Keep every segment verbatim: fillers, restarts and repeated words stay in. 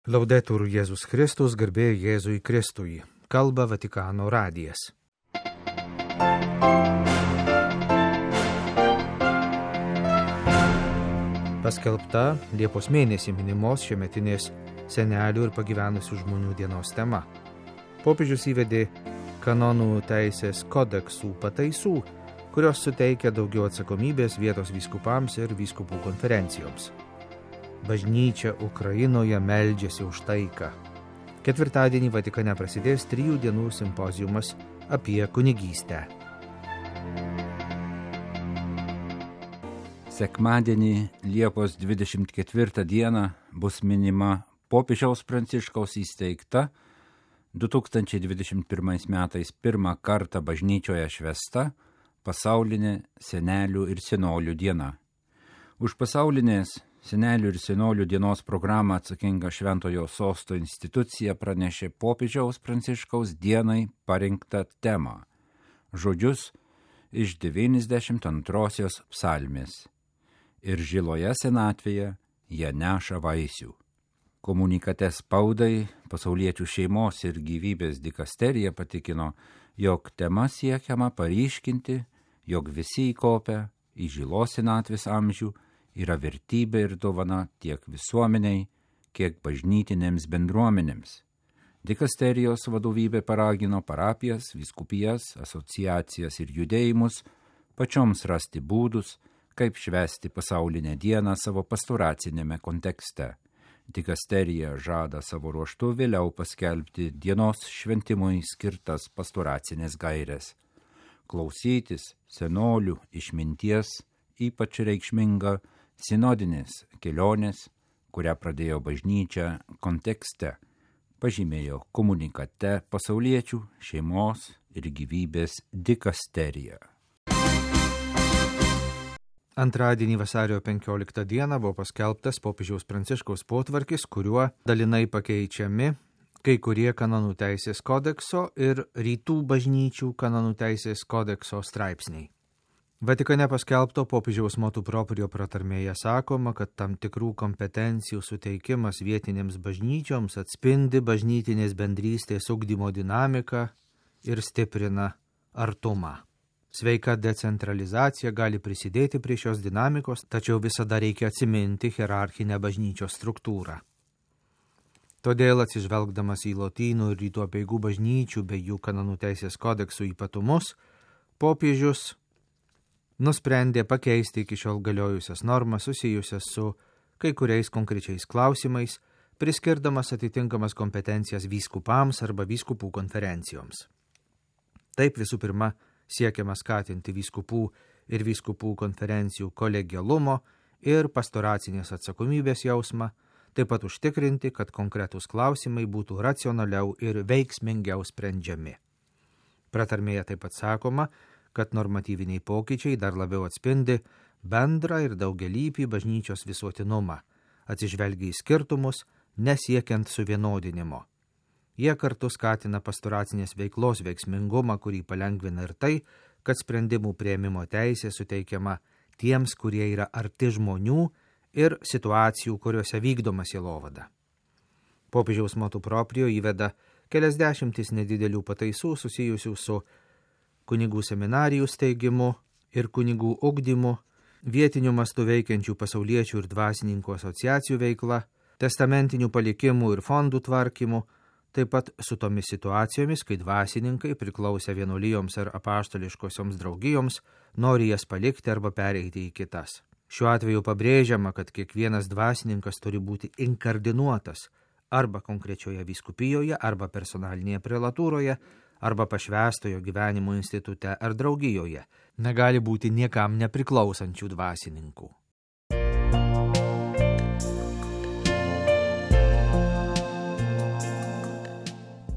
Laudetur Jėzus Kristus, garbė Jėzui Kristui. Kalba Vatikano radijas. Paskelbta Liepos mėnesį minimos šiemetinės senelių ir pagyvenusių žmonių dienos tema. Popiežius įvedė kanonų teisės kodeksų pataisų, kurios suteikia daugiau atsakomybės vietos vyskupams ir vyskupų konferencijoms. Bažnyčia Ukrainoje meldžiasi už taiką. Ketvirtadienį Vatikane prasidės trijų dienų simpoziumas apie kunigystę. Sekmadienį Liepos dvidešimt ketvirtą dieną bus minima popiežiaus Pranciškaus įsteigta du tūkstančiai dvidešimt pirmais metais pirmą kartą bažnyčioje švęsta pasaulinė senelių ir senolių diena. Už pasaulinės senelių ir senolių dienos programą atsakinga Šventojo Sosto institucija pranešė popiežiaus Pranciškaus dienai parinktą temą – žodžius iš devyniasdešimt antrosios psalmės. Ir žiloje senatvėje jie neša vaisių. Komunikate spaudai pasauliečių šeimos ir gyvybės dikasterija patikino, jog tema siekiama paryškinti, jog visi įkopę į žilos senatvės amžių yra vertybė ir dovana tiek visuomeniai, kiek bažnytinėms bendruomenėms. Dikasterijos vadovybė paragino parapijas, vyskupijas, asociacijas ir judėjimus pačioms rasti būdus, kaip švęsti pasaulinę dieną savo pastoracinėme kontekste. Dikasterija žada savo ruožtu vėliau paskelbti dienos šventimui skirtas pastoracinės gaires. Klausytis senolių išminties ypač reikšminga sinodinės kelionės, kurią pradėjo bažnyčia kontekste, pažymėjo komunikate pasauliečių šeimos ir gyvybės dikasterija. Antradienį vasario penkioliktą dieną buvo paskelbtas popiežiaus Pranciškaus potvarkis, kuriuo dalinai pakeičiami kai kurie kanonų teisės kodekso ir rytų bažnyčių kanonų teisės kodekso straipsniai. Vatikane paskelbto popiežiaus motu proprio pratarmėje sakoma, kad tam tikrų kompetencijų suteikimas vietinėms bažnyčioms atspindi bažnytinės bendrystės ugdymo dinamiką ir stiprina artumą. Sveika decentralizacija gali prisidėti prie šios dinamikos, tačiau visada reikia atsiminti hierarchinę bažnyčios struktūrą. Todėl atsižvelgdamas į lotynų ir rytų apeigų bažnyčių bei jų kanonų teisės kodeksų ypatumus, popiežius nusprendė pakeisti iki šiol galiojusias normas susijusias su kai kuriais konkrečiais klausimais, priskirdamas atitinkamas kompetencijas vyskupams arba vyskupų konferencijoms. Taip visų pirma siekiama skatinti vyskupų ir vyskupų konferencijų kolegialumo ir pastoracinės atsakomybės jausmą, taip pat užtikrinti, kad konkretūs klausimai būtų racionaliau ir veiksmingiau sprendžiami. Pratarmėje taip pat sakoma, kad normatyviniai pokyčiai dar labiau atspindi bendrą ir daugialypį bažnyčios visuotinumą, atsižvelgia į skirtumus, nesiekiant suvienodinimo. Jie kartu skatina pastoracinės veiklos veiksmingumą, kurį palengvina ir tai, kad sprendimų priėmimo teisė suteikiama tiems, kurie yra arti žmonių ir situacijų, kuriuose vykdoma sielovada. Popiežiaus motu proprio įveda kelias dešimtis nedidelių pataisų susijusių su kunigų seminarijų steigimu ir kunigų ugdymu, vietinių mastų veikiančių pasauliečių ir dvasininkų asociacijų veikla, testamentinių palikimų ir fondų tvarkymu, taip pat su tomis situacijomis, kai dvasininkai priklausę vienuolijoms ar apaštališkosioms draugijoms nori jas palikti arba pereiti į kitas. Šiuo atveju pabrėžiama, kad kiekvienas dvasininkas turi būti inkardinuotas arba konkrečioje vyskupijoje, arba personalinėje prelatūroje, arba pašvęstojo gyvenimo institute ar draugijoje. Negali būti niekam nepriklausančių dvasininkų.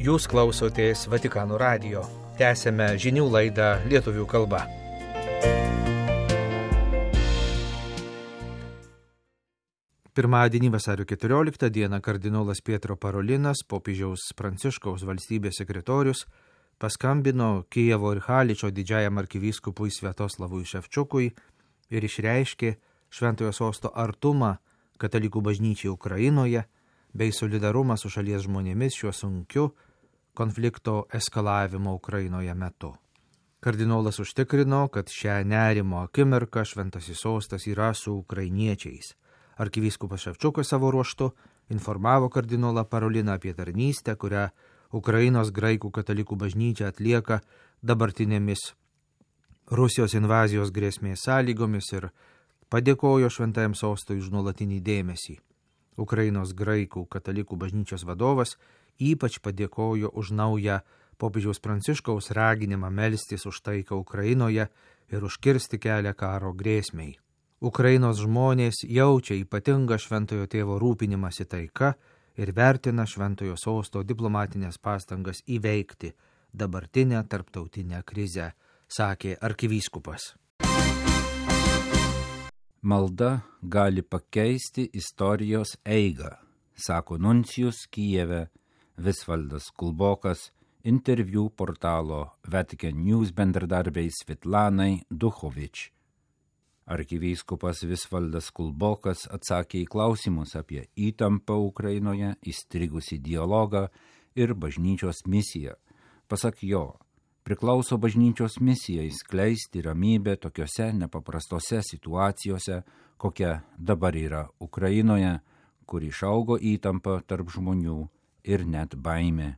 Jūs klausotės Vatikano radijo. Tęsėme žinių laidą lietuvių kalba. Pirmadienį vasario keturioliktą dieną kardinolas Pietro Parolinas, popiežiaus Pranciškaus valstybės sekretorius, paskambino Kijevo ir Haličo didžiajam arkivyskupui Sviatoslavui Ševčiukui ir išreiškė Šventojo Sosto artumą katalikų bažnyčiai Ukrainoje bei solidarumą su šalies žmonėmis šiuo sunkiu konflikto eskalavimo Ukrainoje metu. Kardinolas užtikrino, kad šią nerimo akimirką Šventasis sostas yra su ukrainiečiais. Arkivyskupas Ševčiukas savo ruožtu informavo kardinolą Paroliną apie tarnystę, kurią Ukrainos graikų katalikų bažnyčia atlieka dabartinėmis Rusijos invazijos grėsmės sąlygomis ir padėkojo Šventajam sostui už nuolatinį dėmesį. Ukrainos graikų katalikų bažnyčios vadovas ypač padėkojo už naują popiežiaus Pranciškaus raginimą melstis už taiką Ukrainoje ir užkirsti kelią karo grėsmei. Ukrainos žmonės jaučia ypatingą šventojo tėvo rūpinimąsi taika ir vertina šventojo sosto diplomatinės pastangas įveikti dabartinę tarptautinę krizę, sakė arkivyskupas. Malda gali pakeisti istorijos eigą, sako nuncijus Kijeve Visvaldas Kulbokas interviu portalo Vatican News bendradarbei Svetlanai Duchovič. Arkivyskupas Visvaldas Kulbokas atsakė į klausimus apie įtampą Ukrainoje, įstrigusį dialogą ir bažnyčios misiją. Pasak jo, priklauso bažnyčios misijai skleisti ramybę tokiose nepaprastose situacijose, kokia dabar yra Ukrainoje, kur išaugo įtampa tarp žmonių ir net baimė.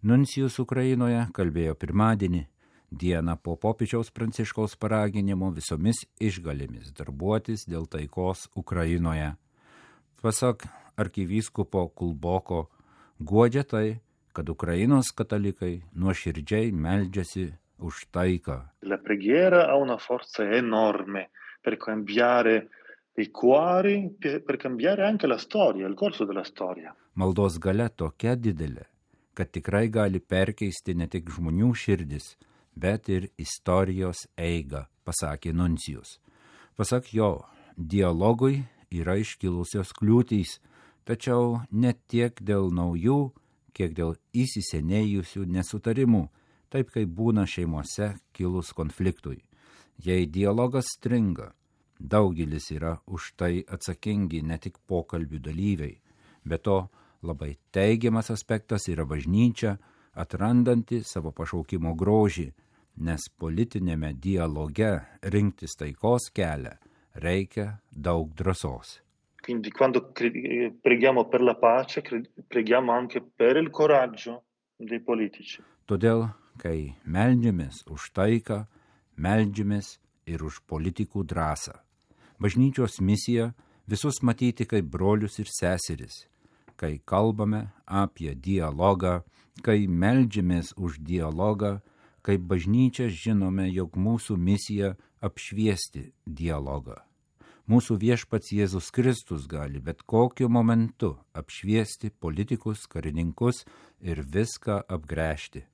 Nuncijus Ukrainoje kalbėjo pirmadienį, dieną po popiežiaus Pranciškaus paraginimo visomis išgalėmis darbuotis dėl taikos Ukrainoje. Pasak arkivyskupo Kulboko, guodžia tai, kad Ukrainos katalikai nuoširdžiai meldžiasi už taiką. La preghiera ha una forza enorme per cambiare i cuori, per cambiare anche la storia, il corso della storia. Maldos galia tokia didelė, kad tikrai gali perkeisti ne tik žmonių širdis, bet ir istorijos eigą, pasakė nuncijus. Pasak jo, dialogui yra iškilusios kliūtys, tačiau ne tiek dėl naujų, kiek dėl įsisenėjusių nesutarimų, taip kaip būna šeimose kilus konfliktui. Jei dialogas stringa, daugelis yra už tai atsakingi ne tik pokalbių dalyviai, bet to labai teigiamas aspektas yra bažnyčia, atrandanti savo pašaukimo grožį, nes politinėme dialoge rinktis taikos kelią reikia daug drąsos. Quindi quando preghiamo per la pace, preghiamo anche per il coraggio dei politici. Todėl, kai meldžiamės už taiką, meldžiamės ir už politikų drąsą. Bažnyčios misija visus matyti kaip brolius ir seseris. Kai kalbame apie dialogą, kai meldžiamės už dialogą, kaip bažnyčia žinome, jog mūsų misija apšviesti dialogą. Mūsų viešpats Jėzus Kristus gali bet kokiu momentu apšviesti politikus, karininkus ir viską apgręžti.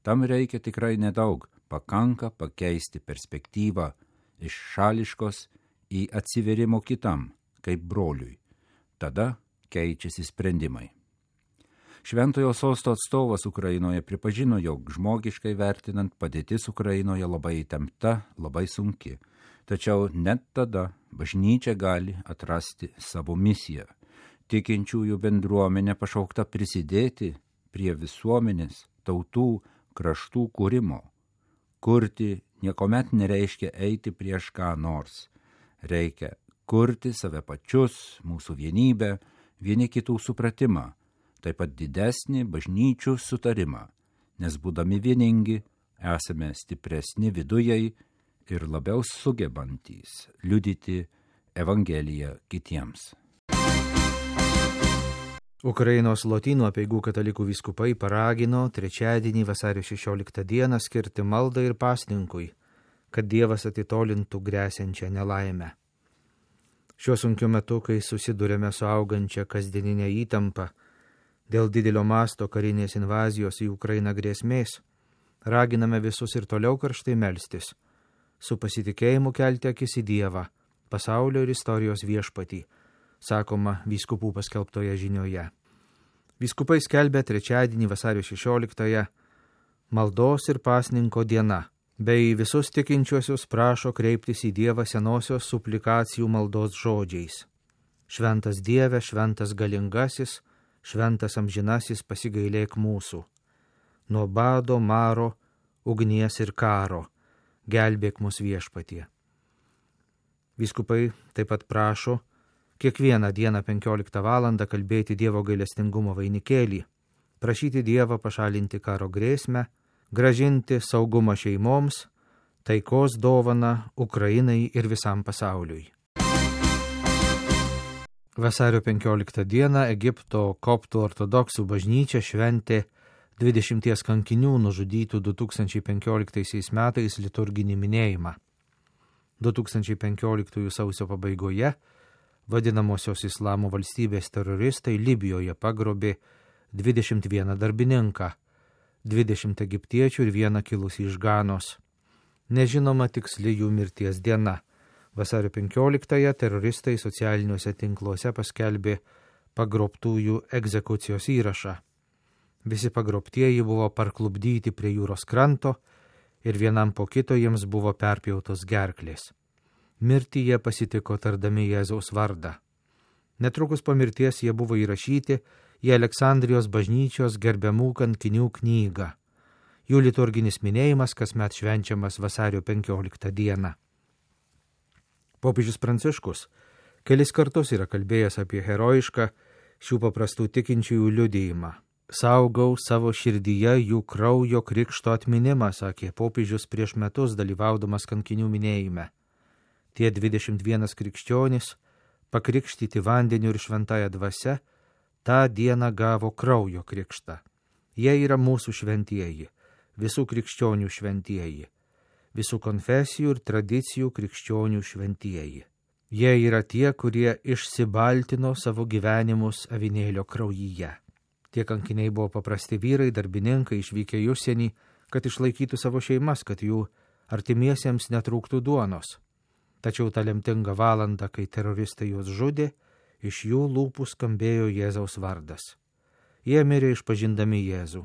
Tam reikia tikrai nedaug, pakanka pakeisti perspektyvą iš šališkos į atsiverimo kitam, kaip broliui. Tada keičiasi sprendimai. Šventojo sosto atstovas Ukrainoje pripažino, jog žmogiškai vertinant padėtis Ukrainoje labai įtempta, labai sunki. Tačiau net tada bažnyčia gali atrasti savo misiją. Tikinčiųjų bendruomenė pašaukta prisidėti prie visuomenės, tautų, kraštų kūrimo. Kurti niekuomet nereiškia eiti prieš ką nors. Reikia kurti save pačius, mūsų vienybę, vieni kitų supratimą, taip pat didesnį bažnyčių sutarimą, nes būdami vieningi esame stipresni vidujai ir labiau sugebantys liudyti Evangeliją kitiems. Ukrainos Lotynų apeigų katalikų vyskupai paragino trečiadienį vasario šešioliktą dieną skirti maldai ir pasninkui, kad Dievas atitolintų grėsiančią nelaimę. Šiuo sunkiu metu, kai susidurėme su augančia kasdieninė įtampa dėl didelio masto karinės invazijos į Ukrainą grėsmės, raginame visus ir toliau karštai melstis, su pasitikėjimu kelti akis į Dievą, pasaulio ir istorijos viešpatį, sakoma vyskupų paskelbtoje žinioje. Vyskupai skelbė trečiadienį vasario šešioliktąją maldos ir pasninko diena, bei visus tikinčiuosius prašo kreiptis į Dievą senosios suplikacijų maldos žodžiais. Šventas Dieve, šventas galingasis, šventas amžinasis pasigailėk mūsų. Nuo bado, maro, ugnies ir karo, gelbėk mus Viešpatie. Vyskupai taip pat prašo kiekvieną dieną penkioliktą valandą kalbėti Dievo gailestingumo vainikėlį, prašyti Dievą pašalinti karo grėsmę, grąžinti saugumą šeimoms, taikos dovaną Ukrainai ir visam pasauliui. Vasario penkioliktą dieną Egipto koptų ortodoksų bažnyčia šventė dvidešimties kankinių nužudytų du tūkstančiai penkioliktaisiais metais liturginį minėjimą. du tūkstančiai penkioliktųjų sausio pabaigoje vadinamosios Islamo valstybės teroristai Libijoje pagrobė dvidešimt vieną darbininką, dvidešimt egiptiečių ir vieną kilusį iš Ganos. Nežinoma tiksli jų mirties diena. Vasario penkioliktąją teroristai socialiniuose tinkluose paskelbė pagrobtųjų egzekucijos įrašą. Visi pagrobtieji buvo parklupdyti prie jūros kranto ir vienam po kito jiems buvo perpjautos gerklės. Mirtį jie pasitiko tardami Jėzaus vardą. Netrukus po mirties jie buvo įrašyti į Aleksandrijos bažnyčios gerbiamų kankinių knygą. Jų liturginis minėjimas kasmet švenčiamas vasario penkioliktą dieną. Popiežius Pranciškus kelis kartus yra kalbėjęs apie herojišką šių paprastų tikinčiųjų liudijimą. Saugau savo širdyje jų kraujo krikšto atminimą, sakė popiežius prieš metus dalyvaudamas kankinių minėjime. Tie dvidešimt vienas krikščionys, pakrikštyti vandeniu ir šventąja dvasia, tą dieną gavo kraujo krikštą. Jie yra mūsų šventieji, visų krikščionių šventieji, visų konfesijų ir tradicijų krikščionių šventieji. Jie yra tie, kurie išsibaltino savo gyvenimus avinėlio kraujyje. Tie kankiniai buvo paprasti vyrai, darbininkai išvykę į užsienį, kad išlaikytų savo šeimas, kad jų artimiesiems netrūktų duonos. Tačiau tą lemtingą valandą, kai teroristai juos žudė, iš jų lūpų skambėjo Jėzaus vardas. Jie mirė išpažindami Jėzų.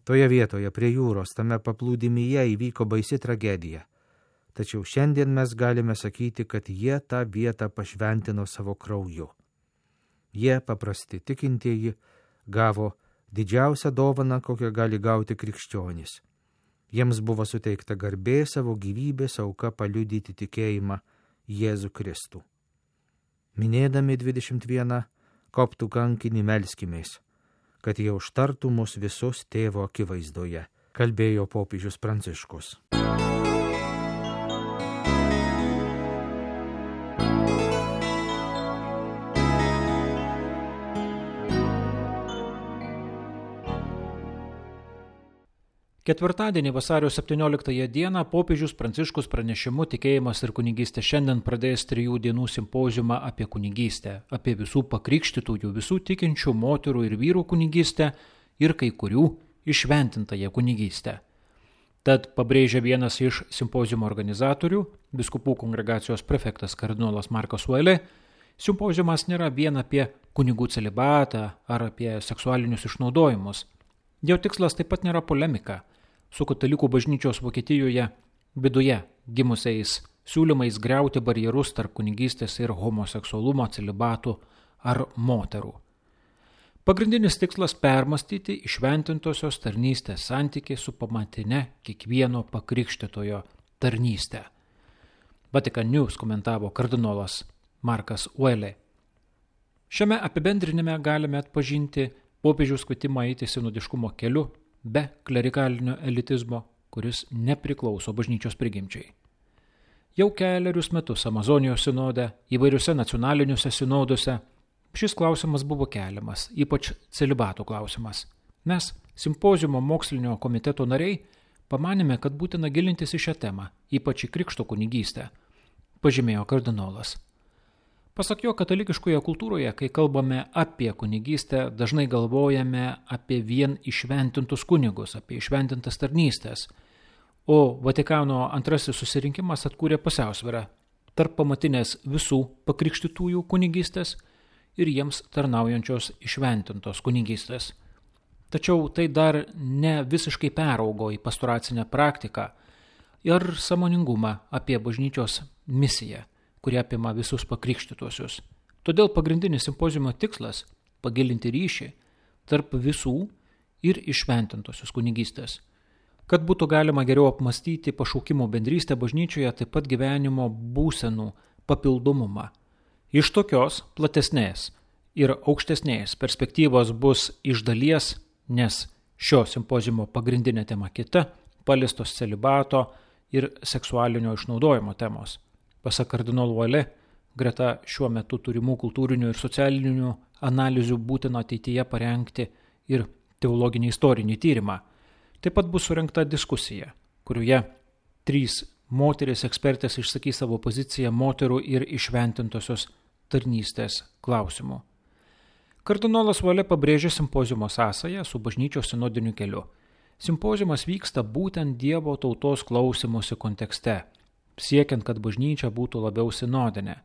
Toje vietoje prie jūros, tame paplūdimyje įvyko baisi tragedija. Tačiau šiandien mes galime sakyti, kad jie tą vietą pašventino savo krauju. Jie, paprasti tikintieji, gavo didžiausią dovaną, kokią gali gauti krikščionys. Jiems buvo suteikta garbė savo gyvybės auka paliudyti tikėjimą Jėzų Kristų. Minėdami dvidešimt vieną koptų kankinį melskimės, kad jie užtartų mus visus tėvo akivaizdoje, kalbėjo popiežius Pranciškus. Ketvirtadienį vasario septynioliktąją dieną popiežius Pranciškus pranešimu Tikėjimas ir kunigystė šiandien pradės trijų dienų simpoziumą apie kunigystę, apie visų pakrikštytųjų, visų tikinčių moterų ir vyrų kunigystę ir kai kurių įšventintąją kunigystę. Tad pabrėžia vienas iš simpoziumo organizatorių, biskupų kongregacijos prefektas kardinolas Markas Uelė, simpoziumas nėra vien apie kunigų celibatą ar apie seksualinius išnaudojimus. Jo tikslas taip pat nėra polemika su katalikų bažnyčios Vokietijoje viduje gimusiais siūlymais griauti barjerus tarp kunigystės ir homoseksualumo, celibatų ar moterų. Pagrindinis tikslas permastyti įšventintosios tarnystės santykį su pamatine kiekvieno pakrikštytojo tarnystę. Vatican News komentavo kardinolas Markas Uelė. Šiame apibendrinime galime atpažinti popiežiaus kvietimą eiti sinodiškumo keliu be klerikalinio elitizmo, kuris nepriklauso bažnyčios prigimčiai. Jau kelerius metus Amazonijos sinode, įvairiuose nacionaliniuose sinoduose šis klausimas buvo keliamas, ypač celibato klausimas. Mes, simpoziumo mokslinio komiteto nariai, pamanėme, kad būtina gilintis į šią temą, ypač į krikšto kunigystę, pažymėjo kardinolas. Pasak jo, katalikiškoje kultūroje, kai kalbame apie kunigystę, dažnai galvojame apie vien įšventintus kunigus, apie įšventintas tarnystės, o Vatikano antrasis susirinkimas atkūrė pusiausvyrą tarp pamatinės visų pakrikštytųjų kunigystės ir jiems tarnaujančios įšventintos kunigystės. Tačiau tai dar ne visiškai peraugo į pastoracinę praktiką ir sąmoningumą apie bažnyčios misiją, kurie apima visus pakrikštytuosius. Todėl pagrindinis simpoziumo tikslas – pagilinti ryšį tarp visų ir iššventintosios kunigystės. Kad būtų galima geriau apmastyti pašaukimo bendrystę bažnyčioje, taip pat gyvenimo būsenų papildomumą. Iš tokios platesnės ir aukštesnės perspektyvos bus iš dalies, nes šio simpoziumo pagrindinė tema kita – paliestos celibato ir seksualinio išnaudojimo temos. Pasak kardinolo Valė, greta šiuo metu turimų kultūrinių ir socialinių analizių būtina ateityje parengti ir teologinį istorinį tyrimą. Taip pat bus surengta diskusija, kurioje trys moteris ekspertės išsakys savo poziciją moterų ir iššventintosios tarnystės klausimų. Kardinolas Valė pabrėžė simpoziumo sąsają su bažnyčios sinodiniu keliu. Simpoziumas vyksta būtent Dievo tautos klausymosi kontekste, siekiant, kad bažnyčia būtų labiau sinodinė.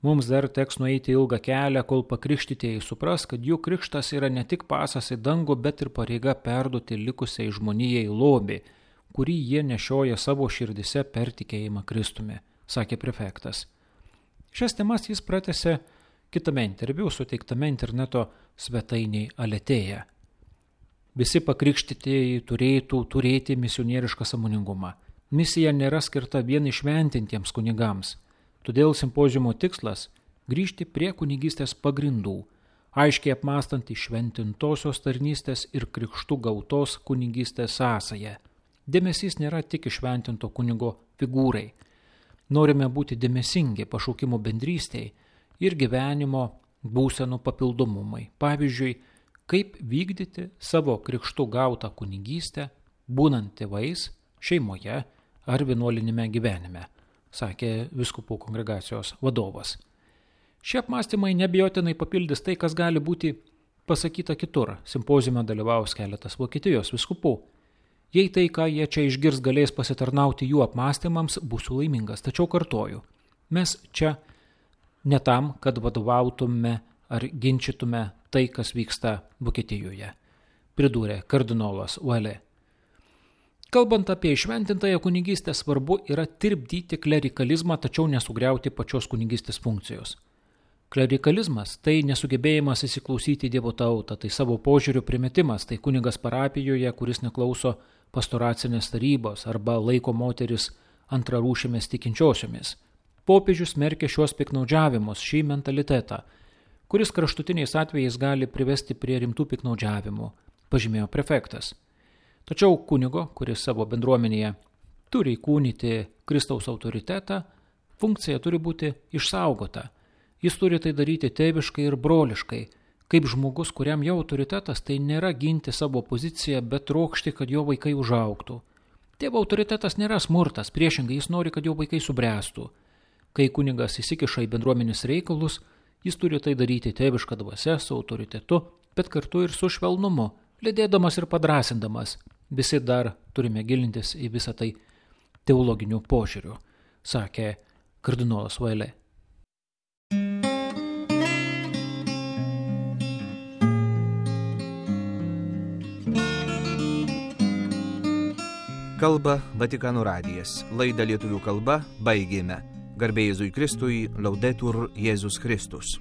Mums dar teks nueiti ilgą kelią, kol pakrikštytieji supras, kad jų krikštas yra ne tik pasas į dangų, bet ir pareiga perduoti likusiai žmonijai lobį, kurį jie nešioja savo širdise per tikėjimą Kristumi, sakė prefektas. Šias temas jis pratęsė kitame interviu suteiktame interneto svetainiai Aletėje. Visi pakrikštytieji turėtų turėti misionierišką sąmoningumą. Misija nėra skirta vien išventintiems kunigams. Todėl simpoziumo tikslas – grįžti prie kunigystės pagrindų, aiškiai apmąstant iššventintosios tarnystės ir krikštų gautos kunigystės sąsają. Dėmesys nėra tik iššventinto kunigo figūrai. Norime būti dėmesingi pašaukimo bendrystei ir gyvenimo būsenų papildomumai. Pavyzdžiui, kaip vykdyti savo krikštų gautą kunigystę, būnant tėvais, šeimoje ar vienuolinime gyvenime, sakė vyskupų kongregacijos vadovas. Šie apmąstymai neabejotinai papildys tai, kas gali būti pasakyta kitur. Simpoziume dalyvaus keletas Vokietijos vyskupų. Jei tai, ką jie čia išgirs, galės pasitarnauti jų apmąstymams, būsiu laimingas. Tačiau kartoju, mes čia ne tam, kad vadovautume ar ginčytume tai, kas vyksta Vokietijoje, pridūrė kardinolas Valė. Kalbant apie išventintąją kunigystę, svarbu yra tirpdyti klerikalizmą, tačiau nesugriauti pačios kunigystės funkcijos. Klerikalizmas – tai nesugebėjimas įsiklausyti Dievo tautą, tai savo požiūrių primetimas, tai kunigas parapijoje, kuris neklauso pastoracinės tarybos arba laiko moteris antrarūšėmis tikinčiosiomis. Popiežius smerkia šios piknaudžiavimus, šį mentalitetą, kuris kraštutiniais atvejais gali privesti prie rimtų piknaudžiavimų, pažymėjo prefektas. Tačiau kunigo, kuris savo bendruomenėje turi įkūnyti Kristaus autoritetą, funkcija turi būti išsaugota. Jis turi tai daryti tėviškai ir broliškai, kaip žmogus, kuriam jau autoritetas tai nėra ginti savo poziciją, bet trokšti, kad jo vaikai užaugtų. Tėvo autoritetas nėra smurtas, priešingai jis nori, kad jo vaikai subręstų. Kai kunigas įsikiša į bendruomenės reikalus, jis turi tai daryti tėviška dvasia, su autoritetu, bet kartu ir su švelnumu, lydėdamas ir padrasindamas. Visi dar turime gilintis į visą tai teologinių požiūrių, sakė kardinolas Valė. Kalba Vatikano radijas. Laidą lietuvių kalba baigėme. Garbė Jėzui Kristui, Laudetur Jėzus Kristus.